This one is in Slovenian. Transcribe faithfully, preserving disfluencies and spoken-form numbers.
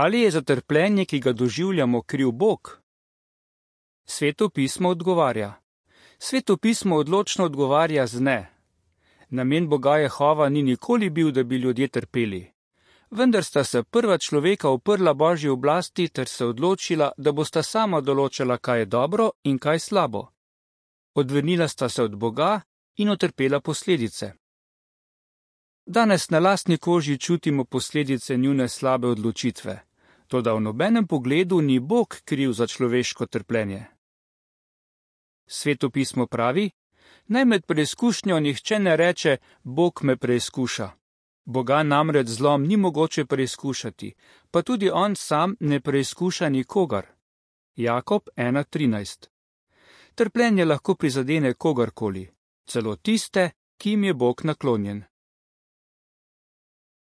Ali je za trpljenje, ki ga doživljamo, kriv Bog? Sveto pismo odgovarja. Sveto pismo odločno odgovarja z ne. Namen Boga Jehova ni nikoli bil, da bi ljudje trpeli. Vendar sta se prva človeka uprla Božji oblasti ter se odločila, da bosta sama določala, kaj je dobro in kaj slabo. Odvrnila sta se od Boga in utrpela posledice. Danes na lastni koži čutimo posledice njune slabe odločitve, toda v nobenem pogledu ni Bog kriv za človeško trpljenje. Sveto pismo pravi, naj med preizkušnjo nihče ne reče, Bog me preizkuša. Boga namreč zlom ni mogoče preizkušati, pa tudi on sam ne preizkuša nikogar. Jakob ena trinajst. Trpljenje lahko prizadene kogarkoli, celo tiste, ki jim je Bog naklonjen.